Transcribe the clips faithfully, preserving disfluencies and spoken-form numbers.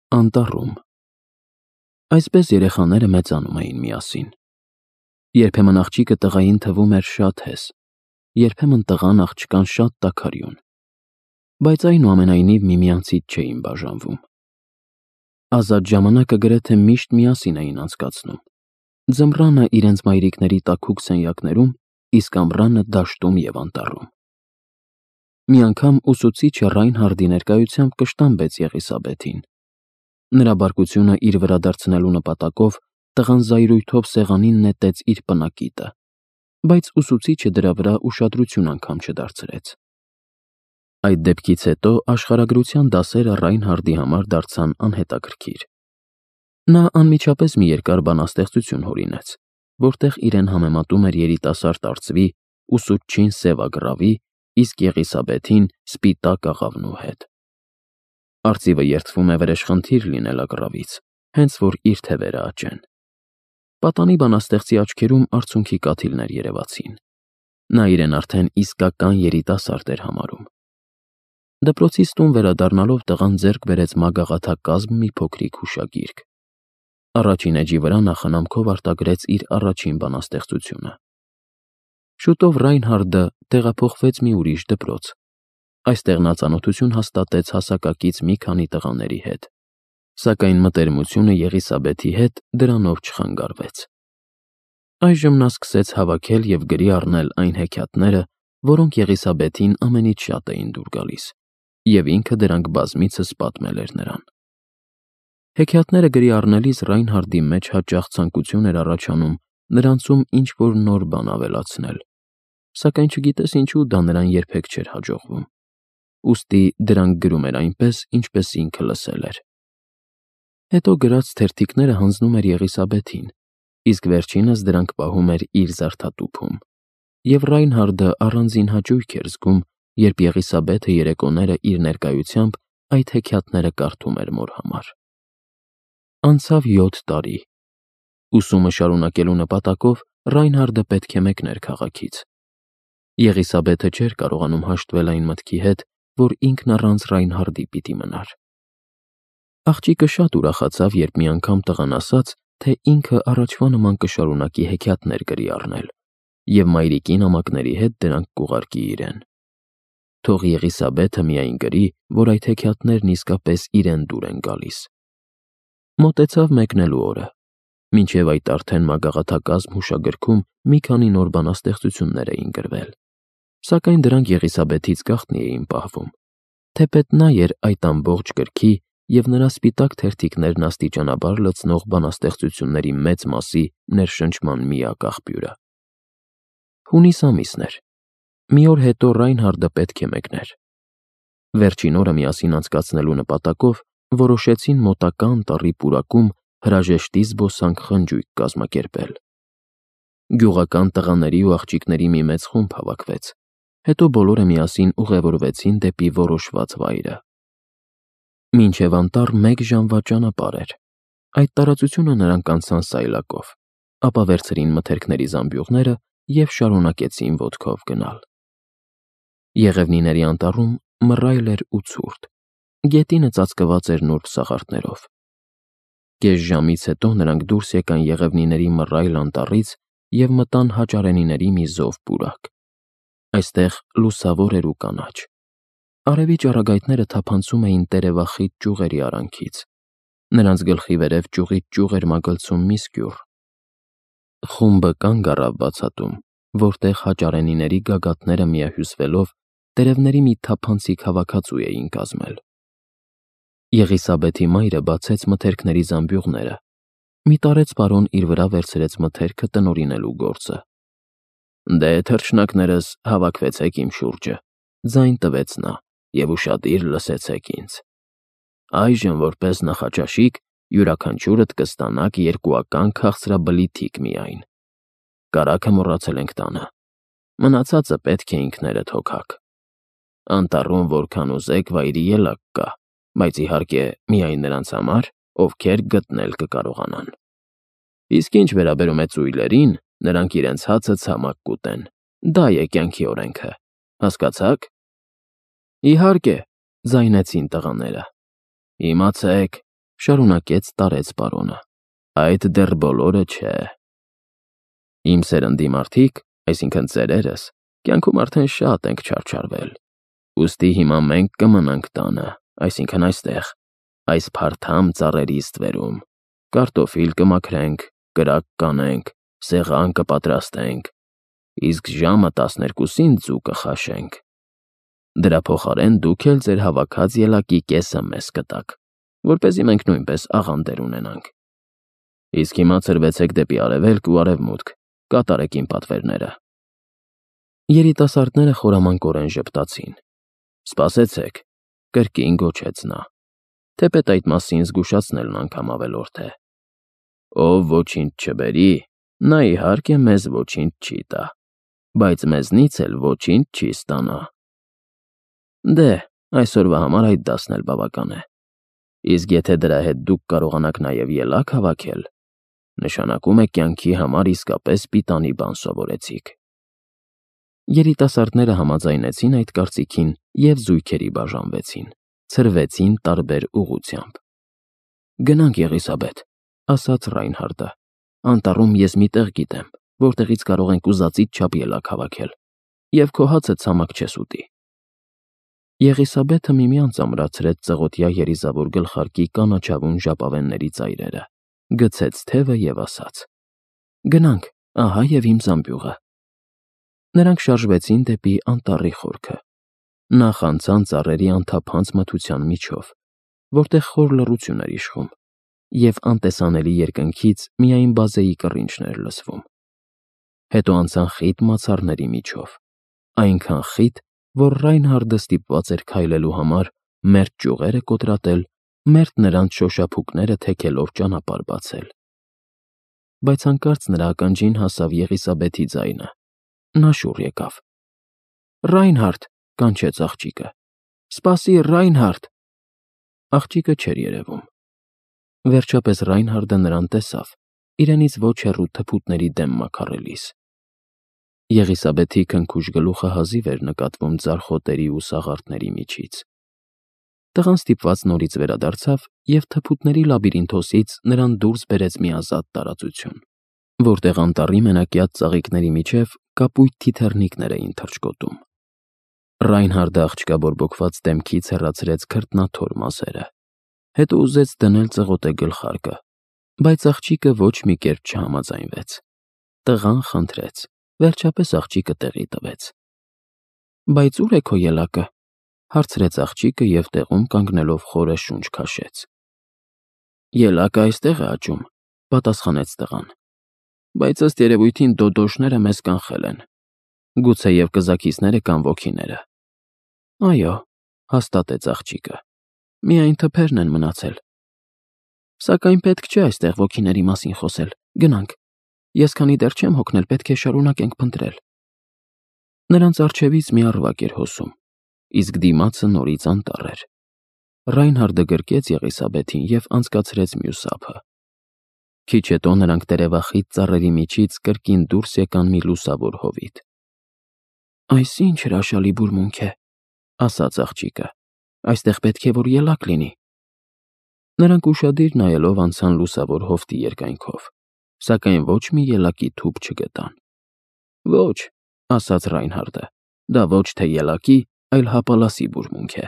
Անտառում։ Այսպես երեխաները մեծանում էին միասին։ Երբեմն աղջիկը տղային թվում էր շատ հես, երբեմն տղան աղջկան շատ տաքարյուն, բայց այնուամենայնիվ միմյանցից չէին բաժանվում։ Ազատ ժամանակը գրեթե միշտ միասին էին անցկացնում, ձմռանը իրենց մայրիկների տաքուկ սենյակներում, իսկ ամռանը դաշտում և անտառում։ Մի անգամ ուսուցիչը Ռայնհարդի ներկայությամբ կշտամբեց Եղիսաբեթին։ Նրա բարկությունը իր վրա դարձնելու նպատակով տղան զայրույթով սեղանին նետեց իր պնակիտը, բայց ուսուցիչը դրա վրա ուշադրություն անգամ չդարձրեց։ Այդ դեպքից հետո աշխարհագրության դասերը Ռայնհարդի համար դարձան անհետաքրքիր։ Նա անմիջապես մի երկար բանաստեղծություն հորինեց, որտեղ իրեն համեմատում էր երիտասարդ արծվի, ուսուցչին սևագրավի, իսկ Եղիսաբեթին սպիտակ աղավնու հետ։ Արծիվը երդվում է վրեժխնդիր լինել ագռավից, հենց որ իր թևերը աճեն։ Պատանի բանաստեղծի աչքերում արցունքի կաթիլներ երևացին։ Նա իրեն արդեն իսկական երիտասարդ էր համարում։ Դպրոցից տուն վերադառնալով տղան ձեռք բերեց մագաղաթակազմ մի փոքրիկ հուշագիրք։ Առաջին էջի վրա նա խնամքով արտագրեց իր առաջին բանաստեղծությունը։ Շուտով Ռայնհարդը տեղափոխվեց մի ուրիշ դպրոց։ Այստեղ նա ծանոթություն հաստատեց հասակակից մի քանի տղաների հետ, սակայն մտերմությունը Եղիսաբեթի հետ դրանով չխանգարվեց։ Այժմ նա սկսեց հավաքել և գրի առնել այն հեքիաթները, որոնք Եղիսաբեթին ամենից շատ էին դուր գալիս, և ինքը դրանք բազմիցս պատմել էր նրան։ Հեքիաթները գրի առնելիս Ռայնհարդի մեջ հաճախ ցանկություն էր առաջանում նրանցում ինչ-որ նոր բան ավելացնել, սակայն չգիտես ինչու դա նրան երբեք չէր հաջողվում, ուստի դրանք գրում էր այնպես, ինչպես ինքը լսել էր։ Հետո գրած թերթիկները հանձնում էր Եղիսաբեթին, իսկ վերջինս դրանք պահում էր իր զարդատուփում, և Ռայնհարդը առանձին հաճույք էր զգում, երբ Եղիսաբեթը երեկոները իր ներկայությամբ այդ հեքիաթները կարդում էր մոր համար։ Անցավ յոթ տարի։ Ուսումը շարունակելու նպատակով Ռայնհարդը պետք է մեկներ քաղաքից։ Եղիսաբեթը չէր կարողանում հաշտվել այն մտքի հետ, որ ինքն առանց Ռայնհարդի պիտի մնար։ Աղջիկը շատ ուրախացավ, երբ մի անգամ տղան ասաց, թե ինքը առաջվա նման կշարունակի հեքիաթներ գրի առնել, և մայրիկի նամակների հետ դրանք կուղարկի իրեն։ Թող Եղիսաբեթը միայն գրի, որ այդ հեքիաթներն իսկապես իրեն դուր են գալիս։ Մոտեցավ մեկնելու օրը, մինչև այդ արդեն մագաղաթակազմ հուշագրքում մի քանի նոր բանաստեղծություններ էին գրվել, սակայն դրանք Եղիսաբեթից գաղտնի էին պահվում, թեպետ նա էր այդ ամբողջ գրքի և նրա սպիտակ թերթիկներն աստիճանաբար լցնող բանաստեղծությունների մեծ մասի ներշնչման միակ աղբյուրը։ Հունիս ամիսն էր։ Մի օր հետո Ռայնհարդը պետք է մեկներ։ Վերջին օրը միասին անցկացնելու նպատակով որոշեցին մոտակա անտառի պուրակում հրաժեշտի զբոսանք խնջույք կազմակերպել։ Գյուղական տղաների ու աղջիկների մի մեծ խումբ հավաքվեց, հետո բոլորը միասին ուղևորվեցին դեպի որոշված վայրը։ Մինչև անտառ մեկ ժամվա ճանապարհ էր։ Այդ տարածությունը նրանք անցան սայլակով, ապա վերցրին մթերքների զամբյուղները և շարունակեցին ոտքով գնալ։ Եղևնիների անտառում մռայլ էր ու ցուրտ, գետինը ծածկված էր նուրբ սաղարթներով։ Կես ժամից հետո նրանք դուրս եկան Եղևնիների մռայլ անտառից և մտան Հաճարենիների մի զով պուրակ։ Այստեղ լուսավոր էր ու կանաչ։ Արևի ճառագայթները թափանցում էին տերևախիտ ճյուղերի արանքից։ Նրանց գլխի վերև ճյուղից ճյուղ էր մագլցում մի սկյուռ։ Խումբը կանգ առավ բացատում, որտեղ հաճարենիների գագաթները միահյուսվելով տերևների մի թափանցիկ հավաքածու էին կազմել։ Եղիսաբեթի մայրը բացեց մթերքների զամբյուղները, մի տարեց պարոն իր վրա վերցրեց մթերքը տնօրինելու գործը։ «Դե, թռչնակներս, հավաքվեցեք իմ շուրջը», ձայն տվեց նա, «և ուշադիր լսեցեք ինձ։ Այժմ, որպես նախաճաշիկ, յուրաքանչյուրդ կստանաք երկուական քաղցրաբլիթիկ միայն։ Կարագը մոռացել ենք տանը, մնացածը պետք է ինքներդ հոգաք։ Անտառում որքան ուզեք վայրի ելակ կա, բայց իհարկե միայն նրանց համար, ովքեր գտնել կկարողանան։ Իսկ ինչ վերաբերում է ծույլերին, նրանք իրենց հացը ցամաք կուտեն, դա է կյանքի օրենքը, հասկացա՞ք»։ «Իհարկե», ձայնեցին տղաները։ «Իմացեք, շարունակեց տարեց պարոնը։ Այդ դեռ բոլորը չէ։ Իմ սերնդի մարդիկ, այսինքն ծերերս, կյանքում արդեն շատ ենք չարչարվել։ Ուստի հիմա մենք կմնանք տանը, այսինքն այստեղ, այս փարթամ ծառերի ստվերում, կարտոֆիլ կմաքրենք, կրակ կանենք, սեղան կպատրաստենք, իսկ ժամը տասներկուսին ձու կխաշենք։ Դրա փոխարեն դուք էլ ձեր հավաքած ելակի կեսը մեզ կտաք, որպեսզի մենք նույնպես աղանդեր ունենանք։ Իսկ հիմա ցրվեցեք դեպի արևելք ու արևմուտք, կատարեք իմ պատվերները։ Երիտասարդները խորամանկորեն ժպտացին։ Սպասեցեք, կրկին գոչեց նա, թեպետ այդ մասին զգուշացնելն անգամ ավելորդ է։ Ով ոչինչ չբերի, նա իհարկե մեզ ոչինչ չի տա, բայց մեզնից էլ ոչինչ չի ստանա։ Դե, այսօրվա համար այդ դասն էլ բավական է։ Իսկ եթե դրա հետ դուք կարողանաք նաև ելակ հավաքել, նշանակում է կյանքի համար իսկապես պիտանի բան սովորեցիք։ Երիտասարդները համաձայնեցին այդ կարծիքին և զույգերի բաժանվեցին, ցրվեցին տարբեր ուղղությամբ։ Գնանք, Եղիսաբեթ, ասաց Ռայնհարդը, անտառում ես մի տեղ գիտեմ, որտեղից կարող ենք ուզածից չափ ելակ հավաքել, և քո հացը ցամաք չես ուտի։ Եղիսաբեթը միմյանց ամրացրեց ծղոտյա երիզավոր գլխարկի կանաչավուն ժապավենների ծայրերը, գցեց թևը և ասաց. Գնանք, ահա և իմ զամբյուղը։ Նրանք շարժվեցին դեպի անտառի խորքը։ Նախ անցան ծառերի անթափանց մթության միջով, որտեղ խոր լռություն էր իշխում, և անտեսանելի երկնքից միայն բազեի կռինչն էր լսվում։ Հետո անցան խիտ մացառների միջով, այնքան խիտ, որ Ռայնհարդը ստիպված էր քայլելու համար մերթ ճյուղերը կոտրատել, մերթ նրանց շոշափուկները թեքելով ճանապարհ բացել։ Բայց հանկարծ նրա ականջին հասավ Եղիսաբեթի ձայնը։ Նա շուռ եկավ։ Ռայնհարդ, կանչեց աղջիկը։ Սպասիր, Ռայնհարդ։ Աղջիկը չէր երևում։ Վերջապես Ռայնհարդը նրան տեսավ, իրենից ոչ հեռու թփուտների դեմ մաքարելիս։ Եղիսաբեթի քնքուշ գլուխը հազիվ էր նկատվում ձարխոտերի ու սաղարթների միջից։ Տղան ստիպված նորից վերադարձավ և թփուտների լաբիրինթոսից նրան դուրս բերեց մի ազատ տարածություն, որտեղ անտառի մենակյաց ծաղիկների միջև կապույտ թիթեռնիկներ էին թռչկոտում։ Ռայնհարդը աղջկա բորբոքված դեմքից հեռացրեց քրտնաթոր մազերը, հետո ուզեց դնել ծղոտե գլխարկը, բայց աղջիկը ոչ մի կերպ չհամաձայնվեց։ Տղան խնդրեց, վերջապես աղջիկը տեղի տվեց։ Բայց ո՞ւր է քո ելակը, հարցրեց աղջիկը և տեղում կանգնելով խորը շունչ քաշեց։ Ելակը այստեղ է աճում, պատասխանեց տղան, բայց ըստ երևույթին դոդոշները մեզ կանխել են, գուցեև կզաքիսները կամ ոգիները։ Այո, հաստատեց աղջիկը, միայն թփերն են մնացել։ Սակայն պետք չէ այստեղ ոգիների մասին խոսել, գնանք, ես քանի դեռ չեմ հոգնել, պետք է շարունակենք փնտրել։ Նրանց առջևից մի առվակ էր հոսում, իսկ դիմացը նորից անտառ էր։ Ռայնհարդը գրկեց Եղիսաբեթին և անցկացրեց մյուս ափը։ Քիչ հետո նրանք տերևախիտ ծառերի միջից կրկին դուրս եկան մի լուսավոր հովիտ։ Այս ինչ հրաշալի բուրմունք է, ասաց աղջիկը, այստեղ պետք է որ ելակ լինի։ Նրանք ուշադիր նայելով անցան լուսավոր հովտի երկայնքով, սակայն ոչ մի ելակի թուփ չգտան։ Ոչ, ասաց Ռայնհարդը, դա ոչ թե ելակի, այլ հապալասի բուրմունք է։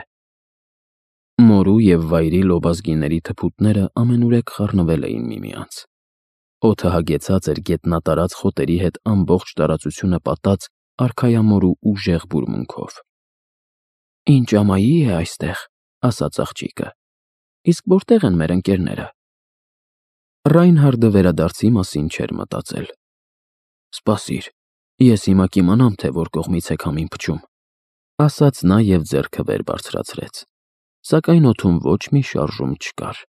Մորու և վայրի լոբազգիների թփուտները ամենուրեք խառնվել էին միմյանց։ Օդը հագեցած էր գետնատարած խոտերի հետ ամբողջ տարածությունը պատած արքայամորու ուժեղ բուրմունքով։ Ինչ ամայի է այստեղ, ասաց աղջիկը, իսկ որտեղ են մեր ընկերները։ Ռայնհարդը վերադարձի մասին չէր մտածել։ Սպասիր, ես հիմա կիմանամ, թե որ կողմից է քամին փչում, ասաց նա և ձեռքը վեր բարձրացրեց, սակայն օդում ոչ մի շարժում չկար։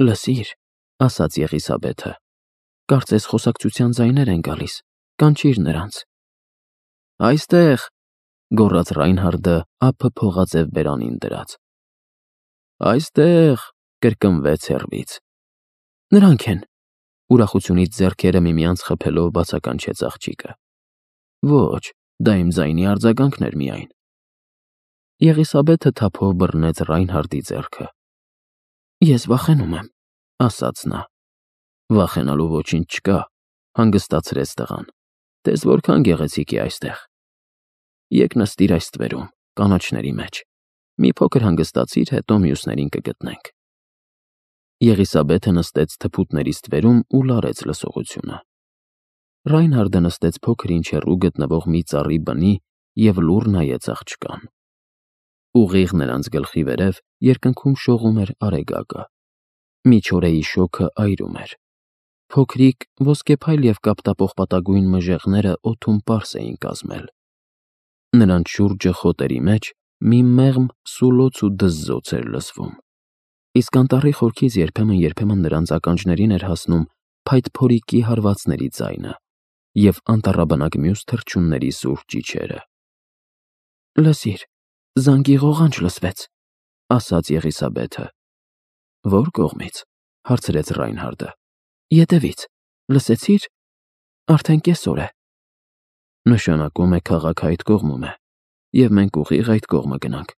Լսիր, ասաց Եղիսաբեթը, կարծես խոսակցության ձայներ են գալիս, կանչիր նրանց։ Այստեղ, գոռաց Ռայնհարդը ափը փողաձև բերանին դրած։ Այստեղ, կրկնվեց հեռվից։ Նրանք են, ուրախությունից ձեռքերը միմյանց խփելով բացականչեց աղջիկը։ Ոչ, դա իմ ձայնի արձագանքն էր միայն։ Եղիսաբեթը թափով բռնեց Ռայնհարդի ձեռքը։ Ես վախենում եմ, ասաց նա։ Վախենալու ոչինչ չկա, հանգստացրեց տղան։ Տես որքան գեղեցիկ է այստեղ։ Եկ նստիր այս ստվերում, կանաչների մեջ։ Մի փոքր հանգստացիր, հետո մյուսներին կգտնենք։ Եղիսաբեթը նստեց թփուտների ստվերում ու լարեց լսողությունը։ Ռայնհարդը նստեց փոքր-ինչ հեռու գտնվող մի ծառի բնի և լուռ նայեց աղջկան։ Ուղիղ նրանց գլխի վերև երկնքում շողում էր արեգակը։ Միջօրեի շոգը այրում էր։ Փոքրիկ, ոսկեփայլ և կապտապողպատագույն մժեղները օդում պարզ էին կազմել։ Նրանց շուրջը խոտերի մեջ մի մեղմ սուլոց ու դզզոց էր լսվում, իսկ անտառի խորքից երբեմն-երբեմն նրանց ականջներին էր հասնում փայտփորիկի հարվածների ձայնը և անտառաբնակ մյուս թռչունների սուր ճիչերը։ «Լսիր, զանգի ղողանջ լսվեց», ասաց Եղիսաբեթը։ «Ո՞ր կողմից», հարցրեց Ռայնհարդը։ «Ետևից, լսեցի՞ր, արդեն կեսօր է»։ Նշանակում է քաղաքը այդ կողմում է, և մենք ուղիղ այդ կողմը գնանք,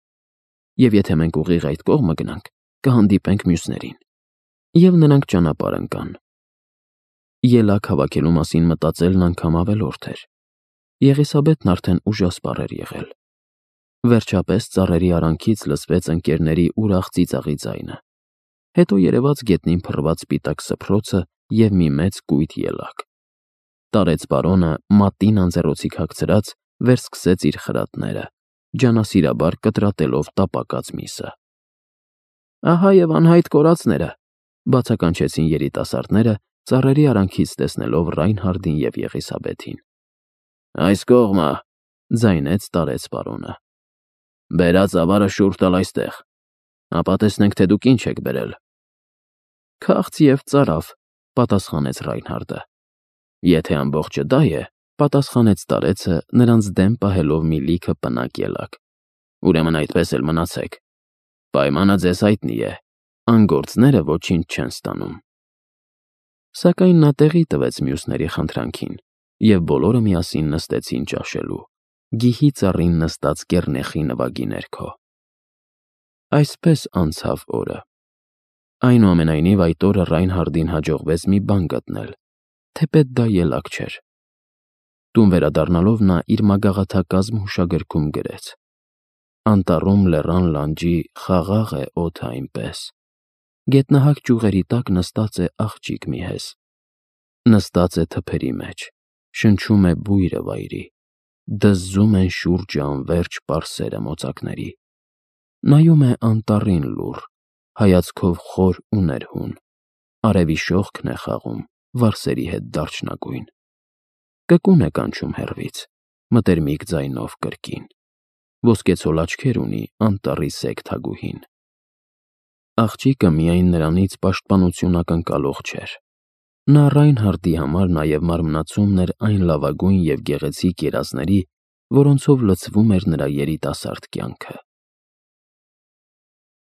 և եթե մենք ուղիղ այդ կողմը գնանք, կհանդիպենք մյուսներին, և նրանք ճանապարհ ընկան։ Ելակ հավաքելու մասին մտածելն անգամ ավելորդ էր։ Եղիսաբեթն արդեն ուժասպառ էր եղել։ Վերջապես ծառերի արանքից լսվեց ընկերների ուրախ ծիծաղի ձայնը, հետո երևաց գետնին փռված սպիտակ սփռոցը և մի մեծ կույտ ելակ։ Տարեց պարոնը, մատին անձեռոցիկ հագցրած, վերսկսեց իր խրատները, ջանասիրաբար կտրատելով տապակած միսը։ «Ահա և անհայտ կորածները», բացականչեցին երիտասարդները, ծառերի արանքից տեսնելով Ռայնհարդին և Եղիսաբեթին։ «Այս կողմը», ձայնեց տարեց պարոնը։ «Բերած ավարը շուռ տալ այստեղ, ապա տեսնենք, թե դուք ինչ եք բերել»։ «Քաղց և ծարավ», պատասխանեց Ռայնհարդը։ «Եթե ամբողջը դա է», պատասխանեց տարեցը, նրանց դեմ պահելով մի լիքը պնակ ելակ, «ուրեմն այդպես էլ մնացեք։ Պայմանը ձեզ հայտնի է, անգործները ոչինչ չեն ստանում»։ Սակայն նա տեղի տվեց մյուսների խնդրանքին, և բոլորը միասին նստեցին ճաշելու, գիհի ծառին նստած կեռնեխի նվագի ներքո։ Այսպես անցավ օրը։ Այնուամենայնիվ այդ օրը Ռայնհարդին հաջողվեց մի բան գտնել, թեպետ դա ելակ չէր։ Տուն վերադառնալով նա իր մագաղաթակազմ հուշագրքում գրեց. «Անտառում լեռան լանջի խաղաղ է օդը այնպես, գետնահակ ճյուղերի տակ նստած է աղջիկ մի հես, նստած է թփերի մեջ, շնչում է բույրը վայրի, դզզում են շուրջը անվերջ պարսերը մոծակների, նայում է անտառին լուռ, հայացքով խոր ու ներհուն, արևի շողքն է խաղում վարսերի հետ դարչնագույն, կկուն է կանչում հեռվից, մտերմիկ ձայնով կրկին, ոսկեցոլ աչքեր ունի անտառի սև թագուհին»։ Աղջիկը միայն նրանից պաշտպանություն ակնկալող չէր։ Նա Ռայնհարդի համար նաև մարմնացումն էր այն լավագույն և գեղեցիկ երազների, որոնցով լցվում էր նրա երիտասարդ կյանքը։